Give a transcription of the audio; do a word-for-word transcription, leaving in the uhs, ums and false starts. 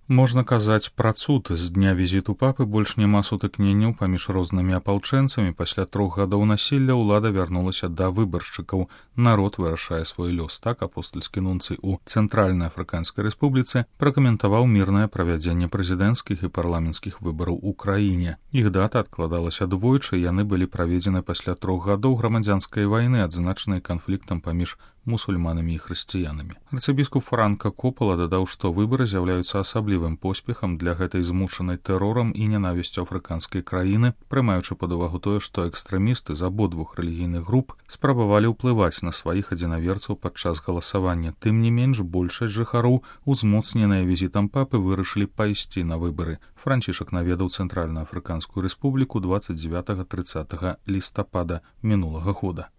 Можна казаць пра цуд. З дня візіту папы больш няма сутыкненняў паміж рознымі апалчэнцамі. Пасля трох гадоў насілля ўлада вярнулася да выбаршчыкаў. Народ вырашае свой лёс. Так апостальскі нунцый у Цэнтральнай Афрыканскай Рэспубліцы пракаментаваў мірнае правядзенне прэзідэнцкіх і парламенцкіх выбараў у краіне. Іх дата адкладалася двойчы, яны былі праведзены пасля трох гадоў грамадзянскай вайны, адзначанай канфліктам паміж мусульманамі і хрысціянамі. Арцыбіскуп Франка Копала дадаў, што выбары з'яўляюцца асаблівым поспехам для гэтай змучанай тэрорам і ненавісцю афрыканскай краіны, прымаючы пад увагу тое, што экстрэмісты з абодвух рэлігійных груп спрабавалі ўплываць на сваіх адзінаверцаў падчас галасавання. Тым не менш, большасць жыхароў, узмоцненыя візітам папы, вырашылі пайсці на выбары. Францішак наведаў Цэнтральную Афрыканскую Рэспубліку дваццаць дзевятага трыццатага лістапада мінулага года.